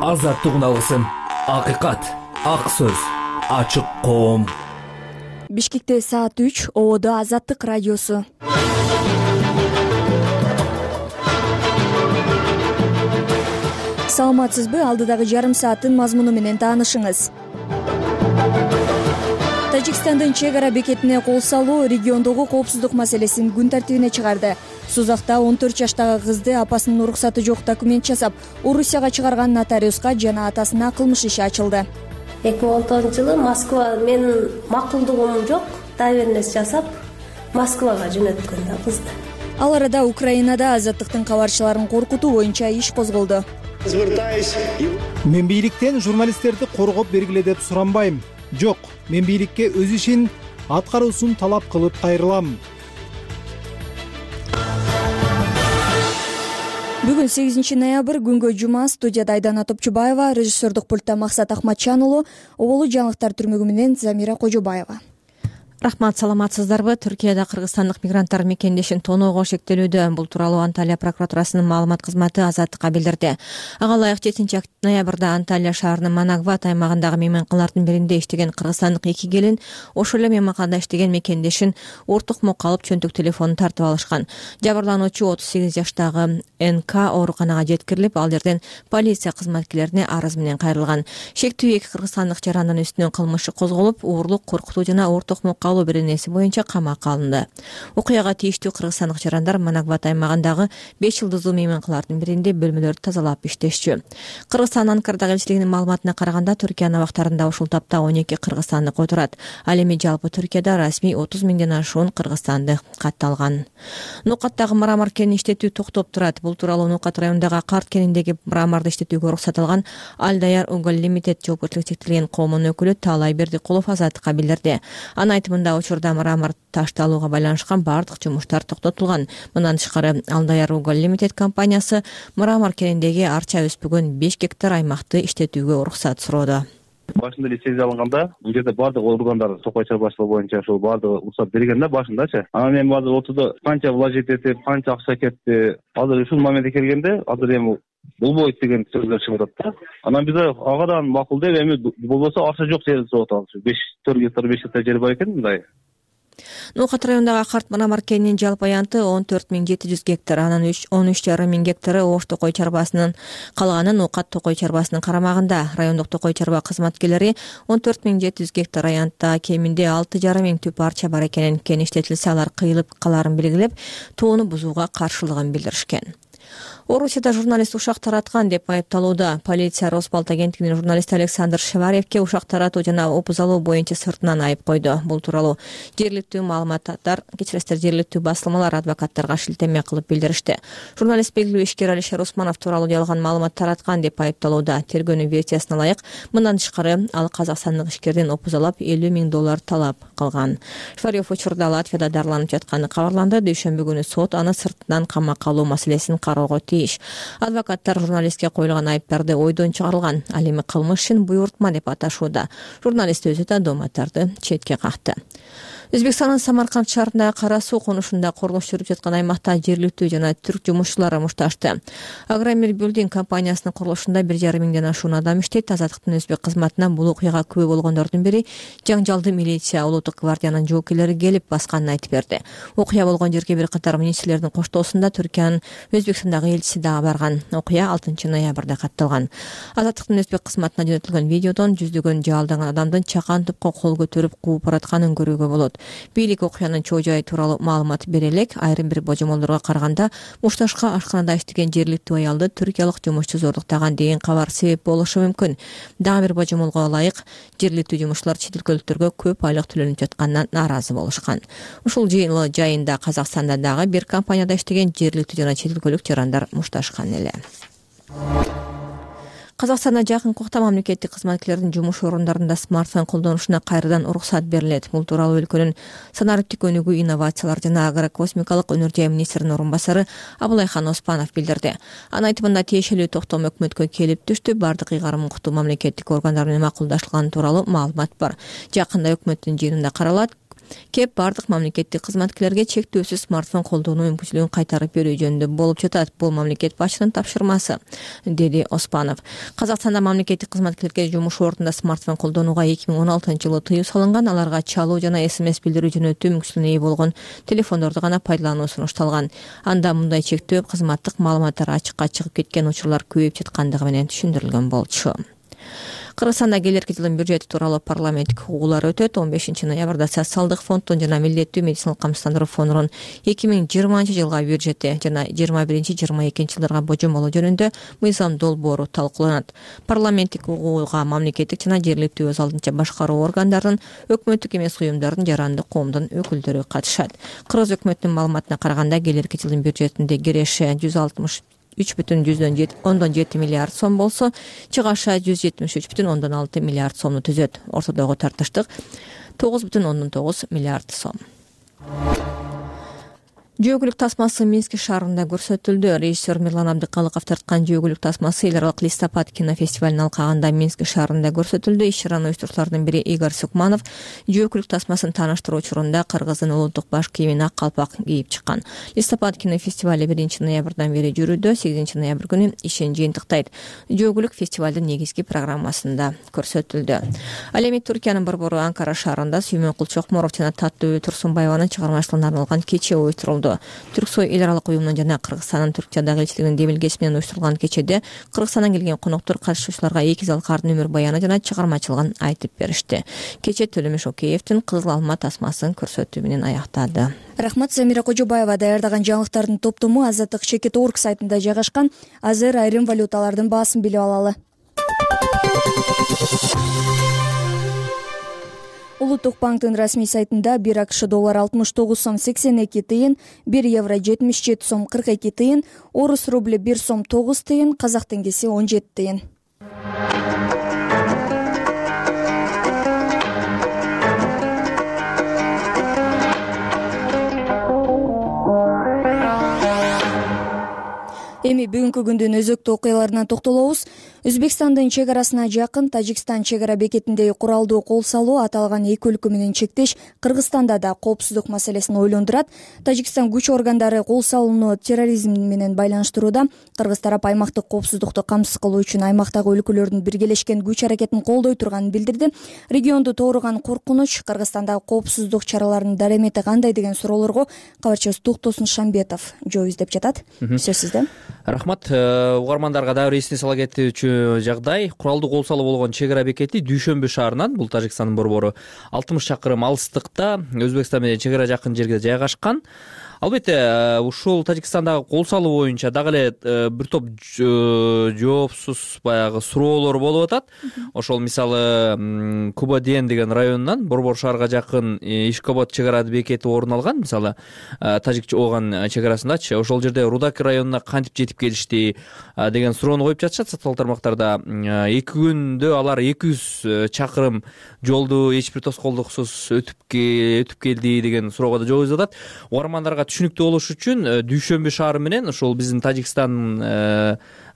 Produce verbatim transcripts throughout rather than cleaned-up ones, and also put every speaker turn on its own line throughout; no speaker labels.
азаттык уналысын, акыйкат, ак сөз, ачык коом.
Бишкекте саат үч, ободо Азаттык радиосу. Саламатсызбы? Алдыдагы жарым сааттын мазмуну менен таанышыңыз. Тажикстандын чек ара бекетине кол салуу региондогу коопсуздук маселесин күн тартибине чыгарды. Сузакта он төрт жаштагы кызды апасынын уруксаты жок документ жасап, Орусияга чыгарган нотариуска жана атасына кылмыш иши ачылды.
эки миң он тогузунчу жылы Москва менин макулдугум жок, доверенность жасап, Москвага жөнөткөн да кызды.
Ал арада Украинада азаттыктын кабарчыларын коркутуу боюнча иш козголду.
Мен бийликтен журналисттерди коргоп бергиле деп суранбайм. Жок, мен бийликке өз ишин аткаруусун талап кылып кайрылам.
Бүгүн сегизинчи ноябрь, күнгө жума. Студияда Айдана Топчубаева, режиссердик пультта Максат Ахматчан уулу, оболу жаңылыктар түрмөгү менен Замира Кожобаева.
Рахмат, саламатсыздарбы? Түркияда кыргызстандык мигранттар мекендешин тоноого шектелүүдө. Бул тууралуу Анталия прокуратурасынын маалымат кызматы Азаттыкка билдирди. Ага ылайык жетинчи ноябрда Анталия шаарынын Манагват аймагындагы мейманканалардын биринде иштеген кыргызстандык эки келин ошол эле мейманканада иштеген мекендешин ортукмокко алып чөнтөк телефонун тартып алышкан. Жабырлануучу отуз сегиз жаштагы Эн К ооруканага жеткирилип, ал жерден полиция кызматкерлерине арыз менен кайрылган. Шектүү эки кыргызстандык жарандын үстүнөн кылмыш козголуп, уурлук, коркутуу жана ортукмокко алуу беренеси боюнча камакка алынды. Окуяга тийиштүү кыргызстандык жарандар Манагват аймагындагы беш жылдыздуу мейманканалардын биринде бөлмөлөрдү тазалап иштешчү. Кыргызстан Анкарадагы элчилигинин маалыматына караганда, Түркиянын абактарында ушул тапта он эки кыргызстандык отурат. Ал эми жалпы Түркияда расмий отуз миңден ашуун кыргызстандык катталган. Нукаттагы мрамор кенин иштетүү токтоп турат. Бул тууралуу Нукат районундагы Карт кениндеги мраморду иштетүүгө уруксат алган Алдаяр Уголь Лимитед жоопкерчилиги чектелген коомунун өкүлү Таалай Бердикулов Азаттыкка билдирди. Анын айтымында, учурда мрамор ташталууга байланышкан бардык жумуштар токтотулган. Мындан тышкары, Алдаяр Уголь Лимитед компаниясы мрамор кениндеги арча өспөгөн беш гектар аймакты иштетүүгө уруксат суроодо.
Башында лицензия алынганда, бул жерде бардык органдар токой чарбачылыгы боюнча ошол бардыгы уруксат берген да башындачы. Анан мен азыр отурда канча вложить этип, канча акча кетти. Азыр ушул моментке келгенде, азыр эми болбойт деген сөздөр чыгып атат да. Анан биз агадан макул деп, эми болбосо акча жок жерди сорап атабыз. беш төрт гектар, беш гектар жер бар экен мындай.
Нукат районундагы Карт мрамор кенинин жалпы аянты он төрт миң жети жүз гектар, анан он үч жарым миң гектары Ош токой чарбасынын, калганы Нукат токой чарбасынын карамагында. Райондук токой чарба кызматкерлери он төрт миң жети жүз гектар аянтта кеминде алты жарым миң түп арча бар экенин, кен иштетилсе алар кыйылып каларын белгилеп, тоону бузууга каршылыгын билдиришкен. Орусияда журналист ушак тараткан деп айыпталууда. Полиция Росбалт агенттигинин журналисти Александр Шеваревке ушак таратуу жана опуз алуу боюнча сыртынан айып койду. Бул тууралуу жергиликтүү маалыматтар, кечиресиздер, жергиликтүү басылмалар адвокаттарга шилтеме кылып билдиришти. Журналист белгилүү ишкер Алишер Усманов тууралуу жалган маалымат тараткан деп айыпталууда. Тергөөнүн версиясына ылайык, мындан тышкары ал казакстандык ишкерден опуз алып элүү миң доллар талап кылган. Шеварев учурда Латвияда дарыланып жатканы кабарланды. Дүйшөмбү күнү сот аны сыртынан камакка алуу маселесин кароого тийиш. Адвокаттар журналистке коюлган айыптарды ойдон чыгарылган, ал эми кылмышын буйртма деп аташууда. Журналист өзү да доматтарды четке какты. Өзбекстандын Самарканд шаарындагы Кара суу конушунда курулуш жүрүп жаткан аймакта жергиликтүү жана түрк жумушчулары мушташты. Агромир Билдинг компаниясынын курулушунда бир жарым миңден ашуун адам иштейт. Азаттыктын өзбек кызматынан бул окуяга күбө болгондордун бири жаңжалды милиция улуттук гвардиянын жоокерлери келип басканын айтып берди. Окуя болгон жерге бир катар министрлердин коштоосунда Түркиянын Өзбекстандагы элчиси дагы барган. Окуя алтынчы ноябрда катталган. Азаттыктын өзбек кызматына жөнөтүлгөн видеодон жүздөгөн жаалданган адамдын чакан тупка кол көтөрүп кууп баратканын көрүүгө болот. Бийлик окуянын чоо жайы тууралуу маалымат бере элек. Айрым бир божомолдорго караганда мушташка ашканада иштеген жергиликтүү аялды түркиялык жумушчу зордуктаган деген кабар себеп болушу мүмкүн. Дагы бир божомолго ылайык, жергиликтүү жумушчулар чет өлкөлүктөргө көп айлык төлөнүп жатканынан нааразы болушкан. Ушул жылы жайында Казакстанда дагы бир компанияда иштеген жергиликтүү жана чет өлкөлүк жарандар мушташкан эле. Казакстанда жакынкы убакта мамлекеттик кызматкерлердин жумуш орундарында смартфон колдонушуна кайрадан уруксат берилет. Бул тууралуу өлкөнүн санариптик өнүгүү, инновациялар жана агрокосмикалык өнөр жай министринин орун басары Абылайхан Оспанов билдирди. Анын айтымында тиешелүү токтом өкмөткө келип түштү. Бардык ыйгарым укуктуу мамлекеттик органдар менен макулдашылган тууралуу маалымат бар. Жакында өкмөттүн жыйынында каралат. кеп баардык мамлекеттик кызматкерлерге чектөөсүз смартфон колдонуу мүмкүнчүлүгүн кайтарып берүү жөнүндө болуп жатат. Бул мамлекет башчынын тапшырмасы, деди Оспанов. Казакстанда мамлекеттик кызматкерлерге жумуш ордунда смартфон колдонууга эки миң он алтынчы жылы тыюу салынган. Аларга чалуу жана смс билдирүү жөнөтүү мүмкүнчүлүгүнө ээ болгон телефондорду гана пайдалануу сунушталган. Анда мындай чектөө кызматтык маалыматтар ачыкка чыгып кеткен учурлар көбөйүп жаткандыгы менен түшүндүрүлгөн болчу. Кыргызстанда келерки жылдын бюджети тууралуу парламенттик угуулар өтөт. он бешинчи ноябрда социалдык фонддун жана милдеттүү медициналык камсыздандыруу фондунун эки миң жыйырманчы жылга бюджети жана жыйырма биринчи жыйырма экинчи жылдарга божомолоо жөнүндө мыйзам долбоору талкууланат. Парламенттик угууга мамлекеттик жана жергиликтүү өз алдынча башкаруу органдарынын, өкмөттүк эмес уюмдардын, жарандык коомдун өкүлдөрү катышат. Кыргыз өкмөтүнүн маалыматына караганда келерки жылдын бюджетинде киреше жүз алтымыш үч бүтүн ондон жети миллиард сом болсо, чыгаша жүз жетимиш үч бүтүн ондон алты миллиард сомду түзөт. Ортодогу тартыштык тогуз бүтүн ондон тогуз миллиард сом. Жөө көлүк тасмасы Минск шаарында көрсөтүлдү. Режиссер Мирлан Абдыкалыков тарткан жөө көлүк тасмасы эл аралык Листопад кинофестивалынын алкагында Минск шаарында көрсөтүлдү. Иш-чараны уюштуруучулардын бири Игорь Сукманов жөө көлүк тасмасын тааныштыруу учурунда кыргыздын улуттук баш кийимин ак калпак кийип чыккан. Листопад кинофестивали биринчи ноябрдан бери жүрүүдө, сегизинчи ноябрь күнү ишин жыйынтыктайт. Жөө көлүк фестивалдын негизги программасында көрсөтүлдү. Ал эми Түркиянын борбору Анкара шаарында Сүймөнкул Чокморов жана Таттуу Турсунбаеванын чыгармачылыгына арналган кече уюштурулду. Түрксой эл аралык уюмунун жана Кыргызстандын Түркиядагы элчилигинин демилгеси менен уюштурулган кечеде Кыргызстандан келген коноктор катышуучуларга эки залкардын өмүр баяны жана чыгармачылыгын айтып беришти. Кече Төлөмөш Океевдин Кызыл алма тасмасын көрсөтүү менен аяктады.
Рахмат. Замира Кожобаева даярдаган жаңылыктардын топтому Азаттык чекит точка орг сайтында жайгашкан. Азыр айрым валюталардын баасын билип алалы. Улуттук банктын расмий сайтында бир АКШ доллар алтымыш тогуз сом сексен эки тыйын, бир евро жетимиш жети сом кырк эки тыйын, орус рубли бир сом тогуз тыйын, казак теңгеси он жети тыйын. Эми бүгүнкү күндүн өзөктүү окуяларына токтолобуз. Өзбекстандын чек арасына жакын Тажикстан чек ара бекетиндеги куралдуу кол салуу аталган эки өлкө менен чектеш Кыргызстанда да коопсуздук маселесин ойлондурат. Тажикстан күч органдары кол салууну терроризм менен байланыштырууда. Кыргыз тарап аймактык коопсуздукту камсыз кылуу үчүн аймактагы өлкөлөрдүн биргелешкен күч аракетин колдой турганын билдирди. Регионду тооруган коркунуч, Кыргызстандагы коопсуздук чараларынын дарамети кандай деген суроолорго кабарчыбыз Туктосун Шамбетов жооп издеп жатат. Сөз сизде.
Рахмат. Угармандарга дагы бир эсине сала кетүүчү жагдай. Куралдуу кол салуу болгон чек ара бекети Дүйшөмбү шаарынан, бул Тажикстандын борбору, алтымыш чакырым алыстыкта Өзбекстан менен чек ара жакын жерге жайгашкан. Албетте, ушул Тажикстандагы кол салуу боюнча дагы эле бир топ жоопсуз баягы суроолор болуп атат. Ошол мисалы Кубаден деген районунан Борбор шаарга жакын Ишкобод чек ара бекети орун алган. Мисалы Тажик ооган чек арасындачы. Ошол жерде Рудаки районуна кантип жетип келишти деген суроону коюп жатышат социалдык тармактарда. эки күндө алар эки жүз чакырым жолду эч бир тоскоолдуксуз өтүп өтүп келди деген суроого да жооп издеп атат. Угармандарга түшүнүктүү болуш үчүн Дүйшөмбү шаары менен ошол биздин Тажикстан,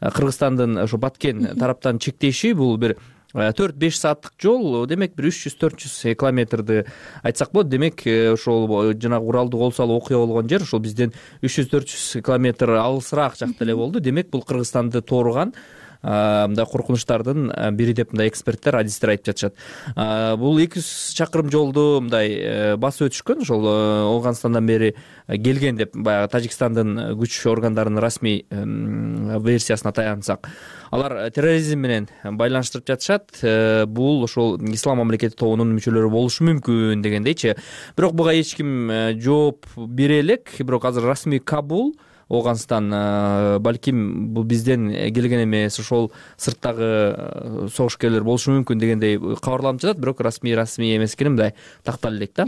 Кыргызстандын ошо Баткен тараптан чектеши бул бир төрт беш сааттык жол, демек бир үч жүз төрт жүз километрди айтсак болот. Демек ошол жанагы куралдуу кол салуу окуя болгон жер ошол бизден үч жүз төрт жүз километр алысыраак жакта эле болду. Демек бул Кыргызстанды тооруган мындай коркунучтардын бири деп мындай эксперттер, адистер айтып жатышат. Бул эки жүз чакырым жолду мындай басып өтүшкөн, ошол Ооганстандан бери келген деп баягы Тажикстандын күч органдарынын расмий версиясына таянсак. Алар терроризм менен байланыштырып жатышат. Бул ошол ислам мамлекети тобунун мүчөлөрү болушу мүмкүн дегендейчи. Бирок буга эч ким жооп бере элек. Бирок азыр расмий Кабул, Ооганстан, балким бул бизден келген эмес, ошол сырттагы согушкерлер болушу мүмкүн дегендей кабарланып жатат. Бирок расмий расмий эмес экенин мындай такталып элек да.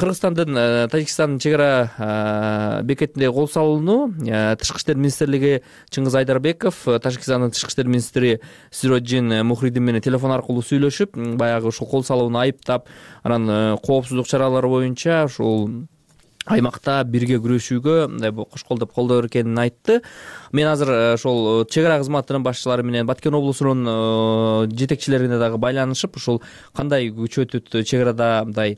Кыргызстандын Тажикстандын чек ара бекетиндеги кол салууну Тышкы иштер министрлиги Чыңгыз Айдарбеков, Тажикстандын тышкы иштер министри Сироджин Мухридин менен телефон аркылуу сүйлөшүп, баягы ушул кол салууну айыптап, анан коопсуздук чаралары боюнча ушул аймакта бирге күрөшүүгө мындай кошколдоп колдоо экенин айтты. Мен азыр ошол чек ара кызматынын башчылары менен Баткен облусунун жетекчилерине дагы байланышып, ушул кандай күчөтүт чек арада мындай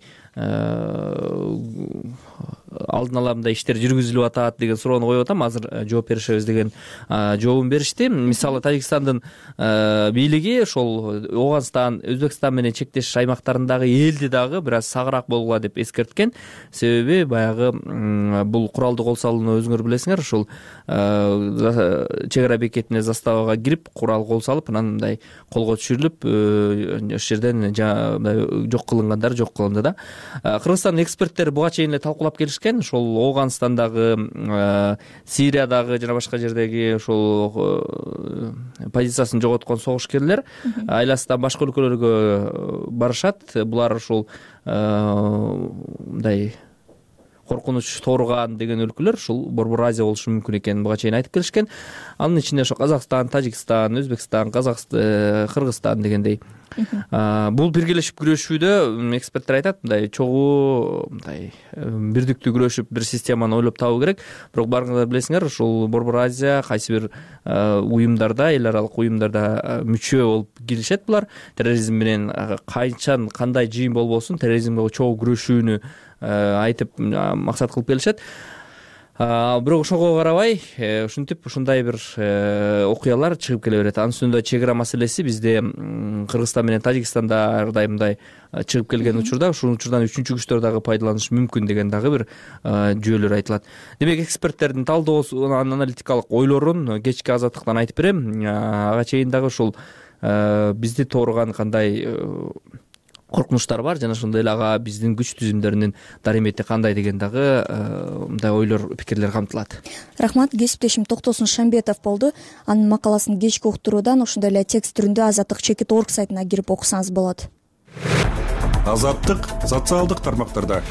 алдын ала мындай иштер жүргүзүлүп атат деген суроону коюп атам. Азыр жооп беришебиз деген жообун беришти. Мисалы Тажикстандын бийлиги ошол Ооганстан, Өзбекстан менен чектеш аймактарындагы элди дагы бир аз сагыраак болгула деп эскерткен. Себеби баягы бул куралдуу кол салууну өзүңөр билесиңер, ушул чек ара бекетине заставага кирип курал кол салып, анан мындай колго түшүрүлүп ошол жерден жок кылынгандар жок кылынды да. Кыргызстандын эксперттери буга чейин эле талкуулап келишкен. Ошол Ооганстандагы, Сириядагы жана башка жердеги ошол позициясын жоготкон согушкерлер айласынан башка өлкөлөргө барышат. Булар ушул мындай коркунуч тооруган деген өлкөлөр ушул Борбор Азия болушу мүмкүн экенин буга чейин айтып келишкен. Анын ичинде ошо Казакстан, Тажикстан, Өзбекстан, Казакстан, Кыргызстан дегендей. Бул биргелешип күрөшүүдө эксперттер айтат, мындай чогуу мындай бирдиктүү күрөшүп бир системаны ойлоп табуу керек. Бирок барыңыздар билесиңер, ушул Борбор Азия кайсы бир уюмдарда, эл аралык уюмдарда мүчө болуп киришет булар. Терроризм менен кайчан кандай жыйын болбосун терроризмге чогуу күрөшүүнү айтып максат кылып келишет. Бирок ошого карабай ушинтип ушундай бир окуялар чыгып келе берет. Анын үстүндө чек ара маселеси бизде Кыргызстан менен Тажикстанда ар кандай мындай чыгып келген учурда ушул учурдан үчүнчү күчтөр дагы пайдаланышы мүмкүн деген дагы бир жүйөлөр айтылат. Демек эксперттердин талдоосун, аналитикалык ойлорун кечки Азаттыктан айтып берем. Ага чейин дагы ушул бизди тооруган кандай коркунучтар бар жана ошондой эле ага биздин күч түзүмдөрүнүн даремети кандай деген дагы мындай ойлор, пикирлер камтылат.
Рахмат. Кесиптешим Токтосун Шамбетов болду. Анын макаласын кечки уктуруудан ошондой эле текст түрүндө Азаттык чекит орг сайтына кирип окусаңыз болот.
Азаттык социалдык тармактарда.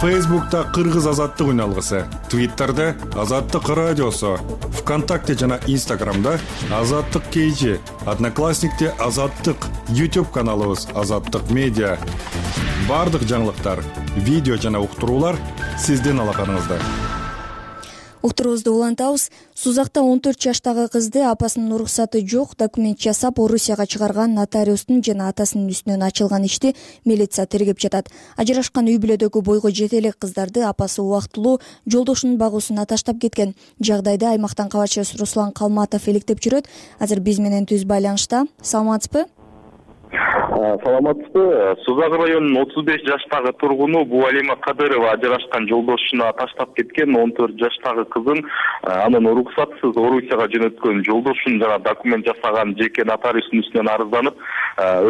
Фейсбукта Кыргыз Азаттык үналгысы, Твиттерде Азаттык радиосу, ВКонтакте жана Инстаграмда Азаттык кейжи, Одноклассникте Азаттык, YouTube каналыбыз Азаттык медиа. Бардык жаңылыктар, видео жана уктуруулар сиздин алаканыңызда.
Уктуруубузду улантабыз. Сузакта он төрт жаштагы кызды апасынын уруксаты жок документ жасап Орусияга чыгарган нотариустун жана атасынын үстүнөн ачылган ишти милиция тергеп жатат. Ажырашкан үй бүлөдөгү бойго жете элек кыздарды апасы убактылуу жолдошунун багуусуна таштап кеткен. Жагдайды аймактан кабарчыбыз Руслан Калматов иликтеп жүрөт. Азыр биз менен түз байланышта. Саламатсызбы?
Саламатсызбы. Сузак районунун отуз беш жаштагы тургуну Буалима Кадырова ажырашкан жолдошуна таштап кеткен он төрт жаштагы кызын анын уруксатсыз Орусияга жөнөткөн жолдошун жана документ жасаган жеке нотариустун үстүнөн арызданып,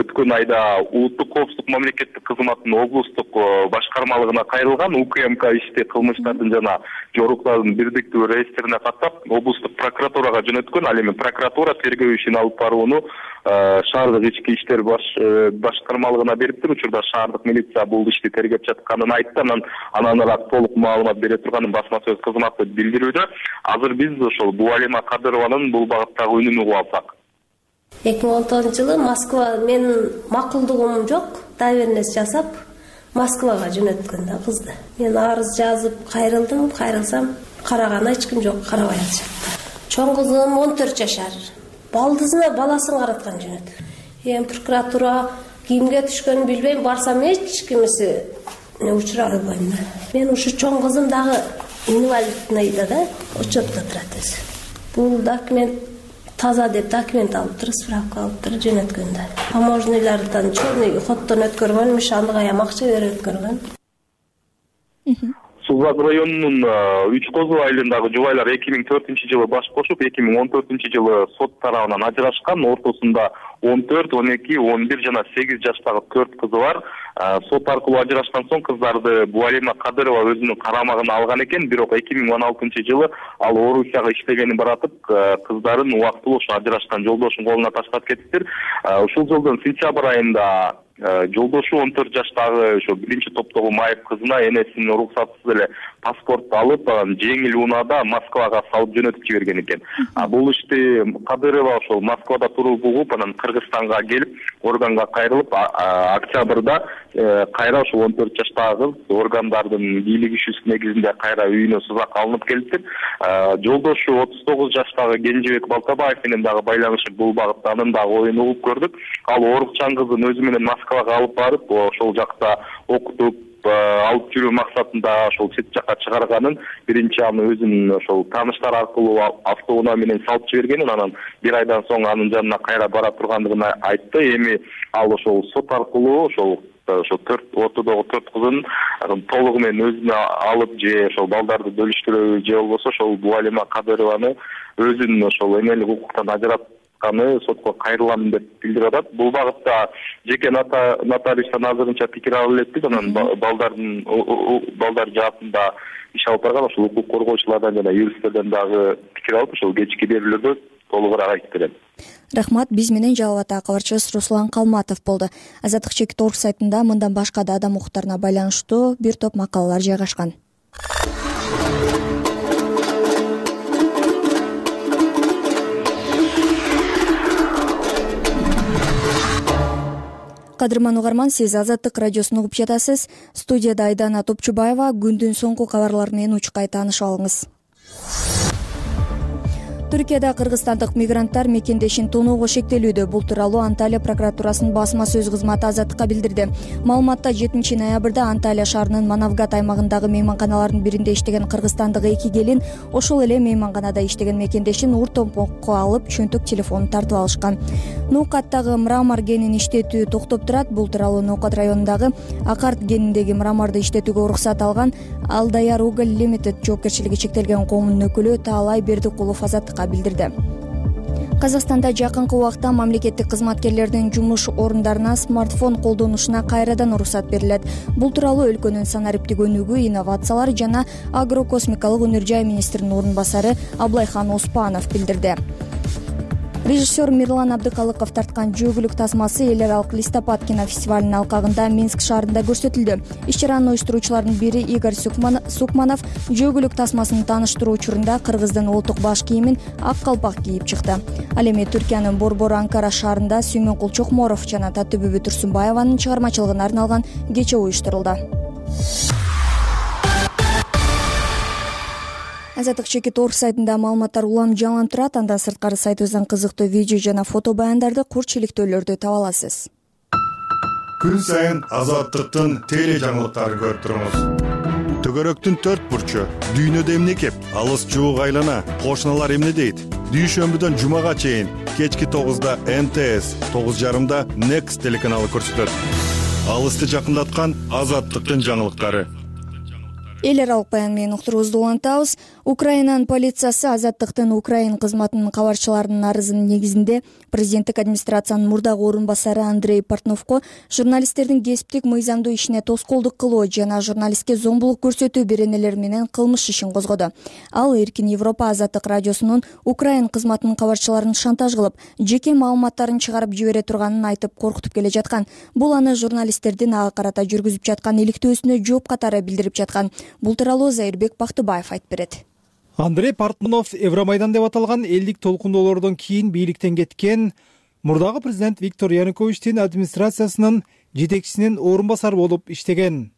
өткөн айда Улуттук коопсуздук мамлекеттик кызматынын облустук башкармалыгына кайрылган УКМК ишти кылмыштардын жана жоруктардын бирдиктүү реестрине каттап, облустук прокуратурага жөнөткөн. Ал эми прокуратура тергөө ишин алып барууну шаардык ички иштер башкармалыгына бериптир. Учурда шаардык милиция бул ишти тергеп жатканын айтты. Анан ананыраак толук маалымат бере турганын басма сөз кызматы билдирүүдө. Азыр биз ошол Буалима Кадырованын бул багыттагы үнүн угуп алсак.
эки миң он тогузунчу жылы Москва, менин макулдугум жок, доверенность жасап Москвага жөнөткөн да кызды. Мен арыз жазып кайрылдым, кайрылсам караган эч ким жок, карабай атышат. Чоң кызым он төрт жашар. Балдызына баласын караткан жөнөт. Эми прокуратура кимге түшкөнүн билбейм, барсам эч кимиси учура албайм. Мен ушу чоң кызым дагы инвалидныйда да учетто турат өзү. Бул документ таза деп документ алыптыр, справка алыптыр, жөнөткөн да. Таможнийлардан черный ходдон өткөргөнмүш, андыга ям акча берип өткөргөн.
Сузак районунун үч Козу айылындагы жубайлар эки миң төртүнчү жылы баш кошуп, эки миң он төртүнчү жылы сот тарабынан ажырашкан. Ортосунда он төрт, он эки, он бир жана сегиз жаштагы төрт кызы бар. Сот аркылуу ажырашкан соң кыздарды Буалима Кадырова өзүнүн карамагына алган экен. Бирок эки миң он алтынчы жылы ал Орусияга иштегенин баратып, кыздарын убактылуу ошо ажырашкан жолдошунун колуна таштап кетиптир. Ушул жылдын сентябрь айында жолдошу он төрт жаштагы ошо биринчи топтогу майып кызына энесинин уруксатсыз эле паспорт алып анан жеңил унаада Москвага салып жөнөтүп жиберген экен. А бул ишти Кадырова ошол Москвада туруп угуп, анан Кыргызстанга келип, органга кайрылып, октябрда кайра ошол он төрт жаштагы кыз органдардын бийлик ишүүсү негизинде кайра үйүнө сузак алынып келиптир. Жолдошу отуз тогуз жаштагы Кенжебек Балтабаев менен дагы байланышы бул багытта анын дагы оюн угуп көрдүк. Ал орукчан кызын өзү менен Москвага алып барып, ошол жакта окутуп алып жүрүү максатында ошол чет жакка чыгарганын, биринчи аны өзүнүн ошол тааныштар аркылуу автоунаа менен салып жибергенин, анан бир айдан соң анын жанына кайра бара тургандыгын айтты. Эми ал ошол сот аркылуу ошол ошо төрт ортодогу төрт кызын толугу менен өзүнө алып, же ошол балдарды бөлүштүрөбү, же болбосо ошол Буалима Кадырованы өзүнүн ошол эмелик укуктан ажыратканы сотко кайрылам деп билдирип атат. Бул багытта жеке нотариустан азырынча пикир алып элекпиз. Анан балдардын балдар жаатында иш алып барган ошол укук коргоочулардан жана юристтерден дагы пикир алып, ошол кечки берүүлөрдө толугураак айтып берем.
Рахмат. Биз менен Жалал ата кабарчыбыз Руслан Калматов болду. Азаттык чекит орг сайтында мындан башка да адам укуктарына байланыштуу бир топ макалалар жайгашкан. Кадырман угарман, сиз Азаттык радиосун угуп жатасыз. Студияда Айдана Топчубаева. Күндүн соңку кабарлары менен учкай таанышып алыңыз. Түркияда кыргызстандык мигранттар мекендешин тоноого шектелүүдө. Бул тууралуу Анталия прокуратурасынын басма сөз кызматы Азаттыкка билдирди. Маалыматта жетинчи ноябрда Анталия шаарынын Манавгат аймагындагы мейманканалардын биринде иштеген кыргызстандык эки келин ошол эле мейманканада иштеген мекендешин ур томпокко алып, чөнтөк телефонун тартып алышкан. Ноокаттагы мрамор кенин иштетүү токтоп турат. Бул тууралуу Ноокат районундагы Акарт кениндеги мраморду иштетүүгө уруксат алган Алдаяр Уголь Limited жоопкерчилиги чектелген коомунун өкүлү Таалай Бердикулов Азаттыкка билдирди. Казакстанда жакынкы убакта мамлекеттик кызматкерлердин жумуш орундарына смартфон колдонушуна кайрадан уруксат берилет. Бул тууралуу өлкөнүн санариптик өнүгүү, инновациялар жана агрокосмикалык өнөр жай министринин орун басары Аблайхан Оспанов билдирди. Режиссер Мирлан Абдыкалыков тарткан жөөгүлүк тасмасы эл аралык Листопад кинофестивалынын алкагында Минск шаарында көрсөтүлдү. Иш-чаранын уюштуруучулардын бири Игорь Сукманов жөөгүлүк тасмасын тааныштыруу учурунда кыргыздын улуттук баш кийимин ак калпак кийип чыкты. Ал эми Түркиянын Борбор Анкара шаарында Сүймөнкул Чокморов жана Татыбүбү Турсунбаеванын чыгармачылыгына арналган кече уюштурулду. Азаттык чекит орг сайтында маалыматтар улам жаңыланып турат. Андан сырткары сайтыбыздан кызыктуу видео жана фото баяндарды, курчиликтөөлөрдү таба аласыз.
Күн сайын Азаттыктын теле жаңылыктарын көрүп туруңуз. Төгөрөктүн төрт бурчу, дүйнөдө эмне кеп, алыс жуук айлана, кошуналар эмне дейт? Дүйшөмбүдөн жумага чейин кечки тогузда Н Т С, тогуз жарымда Next телеканалы көрсөтөт. Алысты жакындаткан Азаттыктын жаңылыктары.
Эл аралык баян менен уктуруубузду улантабыз. Украинанын полициясы Азаттыктын Украин кызматынын кабарчыларынын арызынын негизинде президенттик администрациянын мурдагы орун басары Андрей Портновко журналисттердин кесиптик мыйзамдуу ишине тоскоолдук кылуу жана журналистке зомбулук көрсөтүү беренелери менен кылмыш ишин козгоду. Ал Эркин Европа Азаттык радиосунун Украин кызматынын кабарчыларын шантаж кылып, жеке маалыматтарын чыгарып жибере турганын айтып коркутуп келе жаткан. Бул аны журналисттердин ага карата жүргүзүп жаткан иликтөөсүнө жооп катары билдирип жаткан. Бул тууралуу Зайырбек Бактыбаев айтып берет.
Андрей Портнов Евромайдан деп аталган элдик толкундоолордон кийин бийликтен кеткен мурдагы президент Виктор Януковичтин администрациясынын жетекчисинин орун басары болуп иштеген.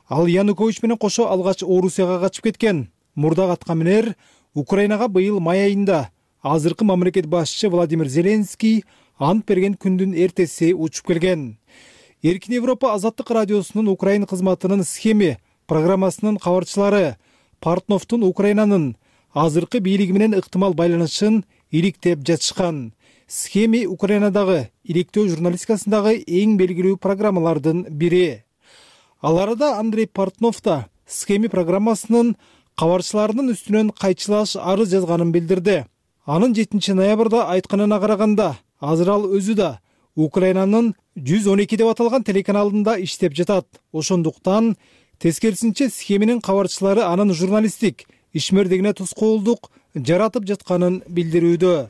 Ал Янукович менен кошо алгач Орусияга качып кеткен. Мурдагы аткаминер Украинага быйыл май айында азыркы мамлекет башчысы Владимир Зеленский ант берген күндүн эртеси учуп келген. Эркин Европа Азаттык радиосунун Украин кызматынын схеми программасынын кабарчылары Портновдун Украинанын азыркы бийлиги менен ыктымал байланышын иликтеп жатышкан. Схеми Украинадагы иликтөө журналистикасындагы эң белгилүү программалардын бири. Ал арада Андрей Портнов да схеми программасынын кабарчыларынын үстүнөн кайчылаш арыз жазганын билдирди. Анын жетинчи ноябрда айтканына караганда, азыр ал өзү да Украинанын жүз он эки деп аталган телеканалында иштеп жатат. Ошондуктан тескерисинче схеминин кабарчылары анын журналисттик ишмердигине тоскоолдук жаратып жатканын билдирүүдө.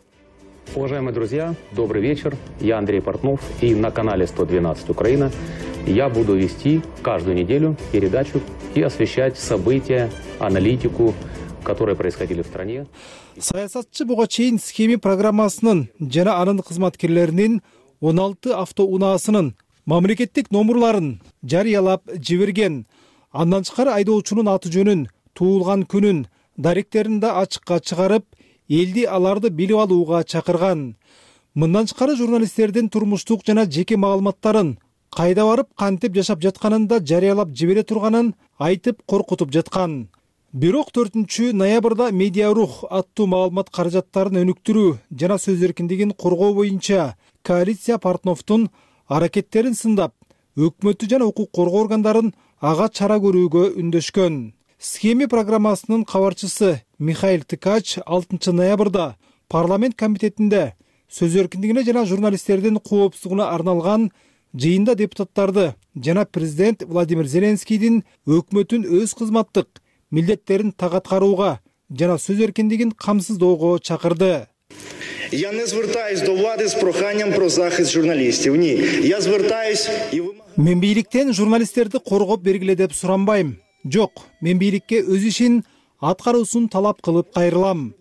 Уважаемые друзья, добрый вечер. Я Андрей Портнов, и на канале сто двенадцать Украина я буду вести каждую неделю передачу и освещать события, аналитику, которые происходили в стране.
Саясатчы буга чейин схеми программасынын жана анын кызматкерлеринин он алты автоунаасынын мамлекеттик номурларын жарыялап жиберген. Андан тышкары айдоочунун аты жөнүн, туулган күнүн, даректерин да ачыкка чыгарып, элди аларды билип алууга чакырган. Мындан тышкары журналисттердин турмуштук жана жеке маалыматтарын, кайда барып кантип жашап жатканын да жарыялап жибере турганын айтып коркутуп жаткан. Бирок төртүнчү ноябрда Медиа Рух аттуу маалымат каражаттарын өнүктүрүү жана сөз эркиндигин коргоо боюнча коалиция Портновдун аракеттерин сындап, өкмөттү жана укук коргоо органдарын ага чара көрүүгө үндөшкөн. Схеми программасынын кабарчысы Михаил Тыкач алтынчы ноябрда парламент комитетинде сөз эркиндигине жана журналисттердин коопсуздугуна арналган жыйында депутаттарды жана президент Владимир Зеленскийдин өкмөтүн өз кызматтык милдеттерин так аткарууга жана сөз эркиндигин камсыздоого чакырды.
Я не звертаюсь до влади з проханням про захист журналістів. Ні, я звертаюсь і вимагаю.
Мен бийликтен журналисттерди коргоп бергиле деп суранбайм. Жок, мен бийликке өз ишин аткаруусун талап кылып кайрылам.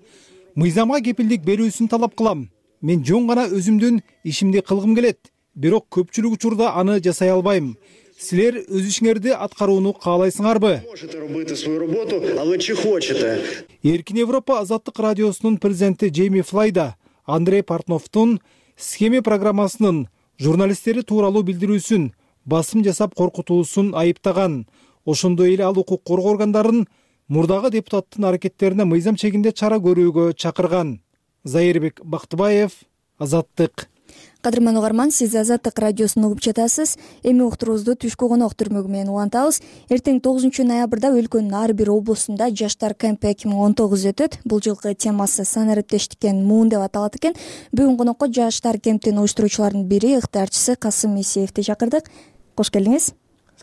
Мыйзамга кепилдик берүүсүн талап кылам. Мен жөн гана өзүмдүн ишимди кылгым келет, бирок көпчүлүк учурда аны жасай албайм. Силер өз ишиңерди аткарууну каалайсыңарбы?
Можете робити свою роботу, але чи хочете?
Эркин Европа Азаттык радиосунун президенти Джейми Флайда Андрей Портновдун схеми программасынын журналисттери тууралуу билдирүүсүн басым жасап коркутуусун айыптаган. Ошондой эле ал укук коргоо органдарын мурдагы депутаттын аракеттерине мыйзам чегинде чара көрүүгө чакырган. Зайырбек Бактыбаев, Азаттык.
Кадырман угарман, сиз Азаттык радиосун угуп жатасыз. Эми уктуруубузду түшкү конок түрмөгү менен улантабыз. Эртең тогузунчу ноябрда өлкөнүн ар бир облусунда жаштар кемпи эки миң он тогуз өтөт. Бул жылкы темасы сан эрептештиккен муун деп аталат экен. Бүгүн конокко жаштар кемптин уюштуруучуларынын бири, ыктыярчысы Касым Исеевди чакырдык. Кош келиңиз.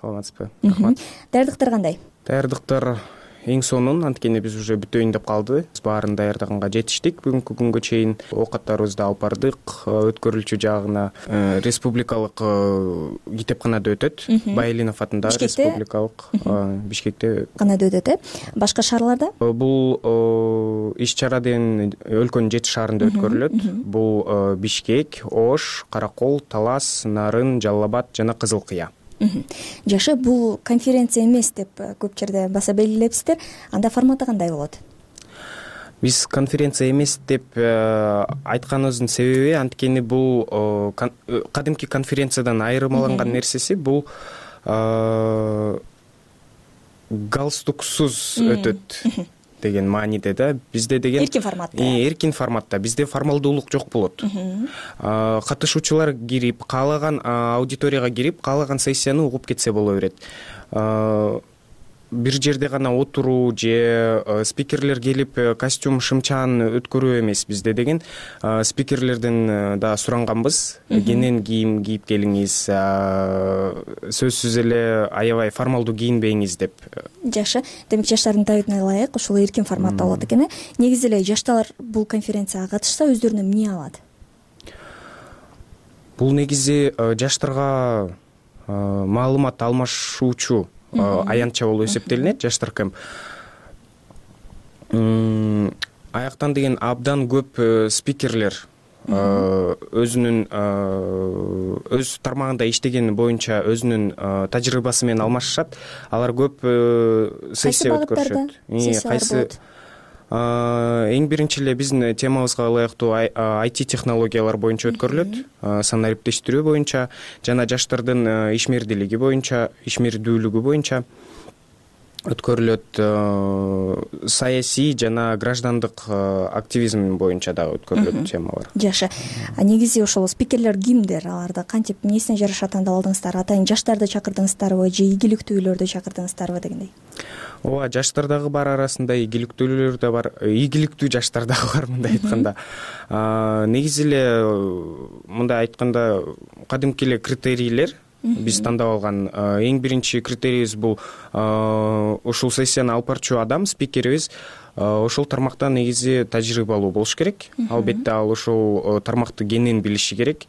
Саламатсызбы? Рахмат.
Даярдыктар кандай?
Даярдыктар эң сонун, анткени биз уже бүтөйүн деп калды. Биз баарын даярдаганга жетиштик. Бүгүнкү күнгө чейин оокаттарыбызды алып бардык. Өткөрүлчү жагына республикалык китепканада өтөт. Байылинов атындагы республикалык Бишкекте
канада өтөт, э? Башка шаарларда?
Бул иш чараден өлкөнүн жети шаарында өткөрүлөт. Бул Бишкек, Ош, Каракол, Талас, Нарын, Жалал Абад жана Кызыл Кыя.
Жакшы, бул конференция эмес деп көп жерде баса белгилепсиздер. Анда форматы кандай болот?
Биз конференция эмес деп айтканыбыздын себеби анткени бул кадимки конференциядан айырмаланган нерсеси бул галстуксуз өтөт деген мааниде да. Бизде деген
эркин форматта.
Эркин форматта. Бизде формалдуулук жок болот. Катышуучулар кирип, каалаган аудиторияга кирип, каалаган сессияны угуп кетсе боло берет. Бир жерде гана отуруу же спикерлер келип костюм шымчаан өткөрүү эмес бизде деген. Спикерлерден да суранганбыз. Кенен кийим кийип келиңиз, сөзсүз эле аябай формалдуу кийинбеңиз деп.
Жакшы. Демек жаштардын талабына ылайык ушул эркин форматта болот экен, э? Негизи эле жаштар бул конференцияга катышса өздөрүнө эмне алат?
Бул негизи жаштарга маалымат алмашуучу аянтча болуп эсептелинет жаштар кемп. Аяктан деген абдан көп спикерлер өзүнүн өз тармагында иштегени боюнча өзүнүн тажрыйбасы менен алмашышат. Алар көп сессия өткөрүшөт. Кайсы эң биринчи эле биздин темабызга ылайыктуу ай ти технологиялар боюнча өткөрүлөт. Сан эрептештирүү боюнча жана жаштардын ишмердүүлүгү боюнча, ишмердүүлүгү боюнча өткөрүлөт. Саясий жана граждандык активизм боюнча дагы өткөрүлөт темалар.
Жакшы. Негизи ошол спикерлер кимдер? Аларды кантип, эмнесине жараша тандалдыңыздар? Атайын жаштарды чакырдыңыздарбы же ийгиликтүүлөрдү чакырдыңыздарбы дегендей?
Ооба, жаштар дагы бар арасында, ийгиликтүүлөр да бар, ийгиликтүү жаштар дагы бар мындай айтканда. Негизи эле мындай айтканда кадимки эле критерийлер биз тандап алган эң биринчи критерийибиз бул ушул сессияны алып барчу адам, спикерибиз ошол тармакта негизи тажрыйбалуу болуш керек. Албетте ал ошол тармакты кенен билиши керек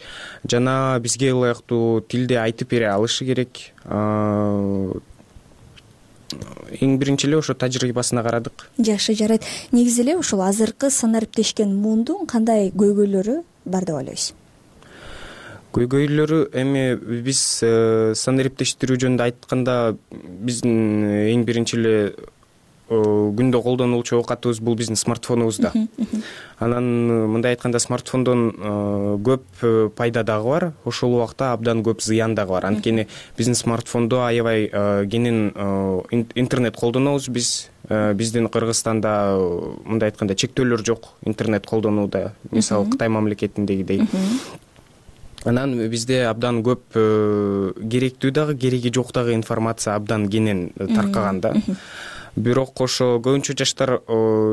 жана бизге ылайыктуу тилде айтып бере алышы керек. Эң биринчи эле ошо тажрыйбасына карадык.
Жакшы, жарайт. Негизи эле ушул азыркы санариптешкен муундун кандай көйгөйлөрү бар деп ойлойсуз?
Көйгөйлөрү эми биз санариптештирүү жөнүндө айтканда биздин эң биринчи эле күндө колдонулчу оокатыбыз бул биздин смартфонубуз да. Анан мындай айтканда смартфондон көп пайда дагы бар, ошол убакта абдан көп зыян дагы бар. Анткени биздин смартфондо аябай кенен интернет колдонобуз биз. Биздин Кыргызстанда мындай айтканда чектөөлөр жок интернет колдонууда, мисалы Кытай мамлекетиндегидей. Анан бизде абдан көп керектүү дагы, кереги жок дагы информация абдан кенен таркаган да. Бирок ошо көбүнчө жаштар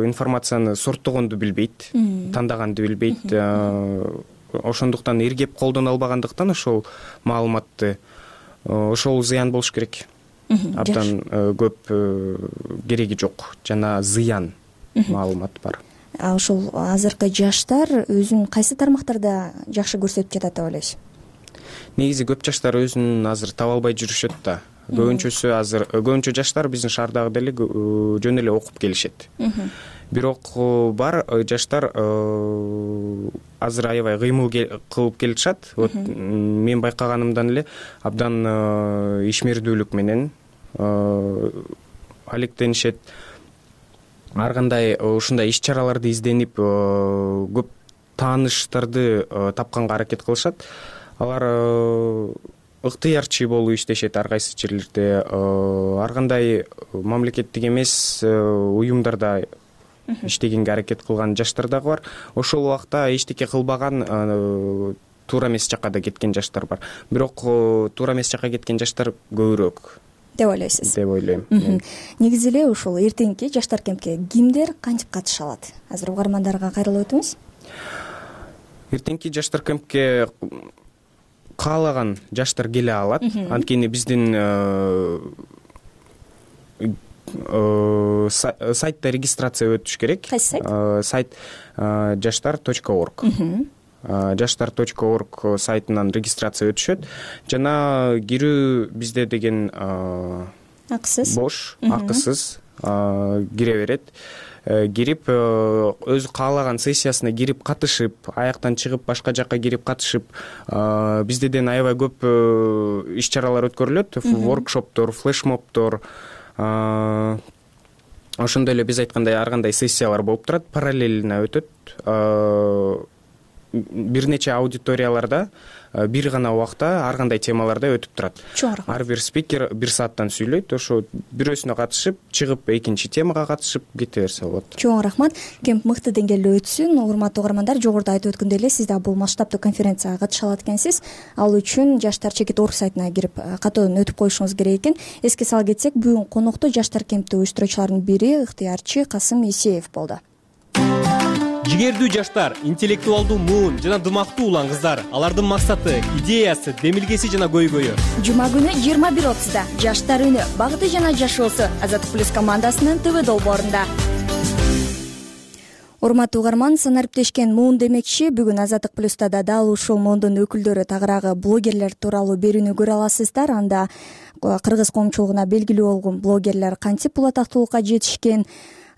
информацияны сорттогонду билбейт, тандаганды билбейт. Ошондуктан эргеп колдоно албагандыктан ошол маалыматты ошол зыян болуш керек. Абдан көп кереги жок жана зыян маалымат бар.
А ошол азыркы жаштар өзүн кайсы тармактарда жакшы көрсөтүп жатат деп ойлойсуз?
Негизи көп жаштар өзүн азыр таба албай жүрүшөт да. Көбүнчөсү азыр көбүнчө жаштар биздин шаардагы деле жөн эле окуп келишет. Бирок бар жаштар азыр аябай кыймыл кылып келишат. Вот мен байкаганымдан эле абдан ишмердүүлүк менен алектенишет. Ар кандай ушундай иш-чараларды изденип көп тааныштарды тапканга аракет кылышат. Алар ыктыярчы болуп иштешет ар кайсы жерлерде. Ар кандай мамлекеттик эмес уюмдарда иштегенге аракет кылган жаштар дагы бар. Ошол убакта эчтеке кылбаган туура эмес жакка да кеткен жаштар бар. Бирок туура эмес жакка кеткен жаштар көбүрөөк
деп ойлойсуз?
Деп ойлойм.
Негизи эле ушул эртеңки жаштар кемпке кимдер кантип катыша алат? Азыр угармандарга кайрылып өтүңүз.
Эртеңки жаштар кемпке каалаган жаштар келе алат. Анткени биздин сайтта регистрация өтүш керек.
Кайсы сайт?
Сайт жаштар точка орг. жаштар точка орг сайтынан регистрация өтүшөт. Жана кирүү бизде деген
акысыз,
бош, акысыз кире берет. Кирип өзү каалаган сессиясына кирип катышып, аяктан чыгып башка жакка кирип катышып, биздеден аябай көп иш-чаралар өткөрүлөт. Воркшоптор, флешмобтор, ошондой эле биз айткандай ар кандай сессиялар болуп турат, параллельно өтөт. Бир нече аудиторияларда бир гана убакта ар кандай темаларда өтүп турат. Ар бир спикер бир сааттан сүйлөйт. Ошо бирөөсүнө катышып, чыгып экинчи темага катышып кете берсе болот.
Чоң рахмат. Кемп мыкты деңгээлде өтсүн. Урматтуу угармандар, жогоруда айтып өткөндөй эле сиз да бул масштабдуу конференцияга катыша алат экенсиз. Ал үчүн жаштар чекит орг сайтына кирип катуудан өтүп коюшуңуз керек экен. Эске сала кетсек, бүгүн конокто жаштар кемпти уюштуруучулардын бири ыктыярчы Касым Исеев болду.
Жигердүү жаштар, интеллектуалдуу муун жана дымактуу улан кыздар. Алардын максаты, идеясы, демилгеси жана көйгөйү.
Жума күнү жыйырма бир отузда Жаштар үнү, багыты жана жашоосу Азаттык плюс командасынын ТВ долбоорунда. Урматтуу угарман, санариптешкен муун демекчи, бүгүн Азаттык плюста да дал ушул муундун өкүлдөрү, тагыраагы блогерлер тууралуу берүүнү көрө аласыздар. Анда кыргыз коомчулугуна белгилүү болгон блогерлер кантип бул атактуулукка жетишкен,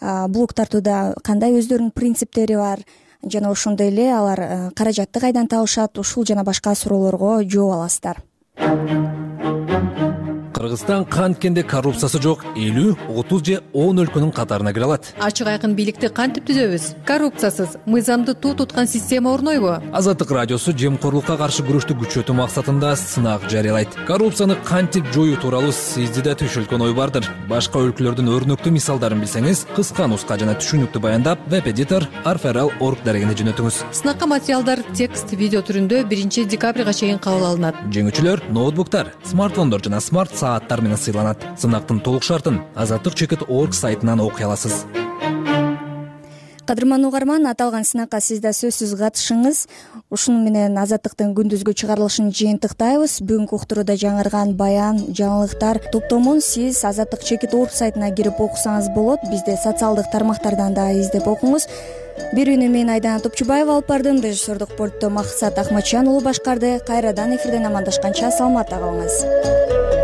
блог тартууда кандай өздөрүнүн принциптери бар жана ошондой эле алар каражатты кайдан табышат, ушул жана башка суроолорго жооп аласыздар.
Кыргызстан канткенде коррупциясы жок элүү, отуз же он өлкөнүн катарына кире алат.
Ачык айкын бийликти кантип түзөбүз? Коррупциясыз, мыйзамды туу туткан система орнойбу?
Азаттык радиосу жемкорлукка каршы күрөштү күчөтүү максатында сынак жарыялайт. Коррупцияны кантип жоюу тууралуу сизди да түшүлгөн ой бардыр. Башка өлкөлөрдүн өрнөктүү мисалдарын билсеңиз, кыска нуска жана түшүнүктүү баяндап, веб-эдитор арферал точка орг дарегине жөнөтүңүз.
Сынакка материалдар текст, видео түрүндө биринчи декабрга чейин кабыл алынат.
Жеңүүчүлөр ноутбуктар, смартфондор жана смарт сааттар менен сыйланат. Сынактын толук шартын азаттык чекит точка орг сайтынан окуй аласыз.
кадырман угарман, аталган сынакка сиз да сөзсүз катышыңыз. Ушуну менен Азаттыктын күндүзгү чыгарылышын жыйынтыктайбыз. Бүгүнкү уктурууда жаңырган баян, жаңылыктар топтомун сиз Азаттык чекит орг сайтына кирип окусаңыз болот. Бизди социалдык тармактардан да издеп окуңуз. Берүүнү мен Айдана Топчубаева алып бардым. Режиссердук пультту Максат Ахматжан уулу башкарды. Кайрадан эфирден амандашканча саламатта калыңыз.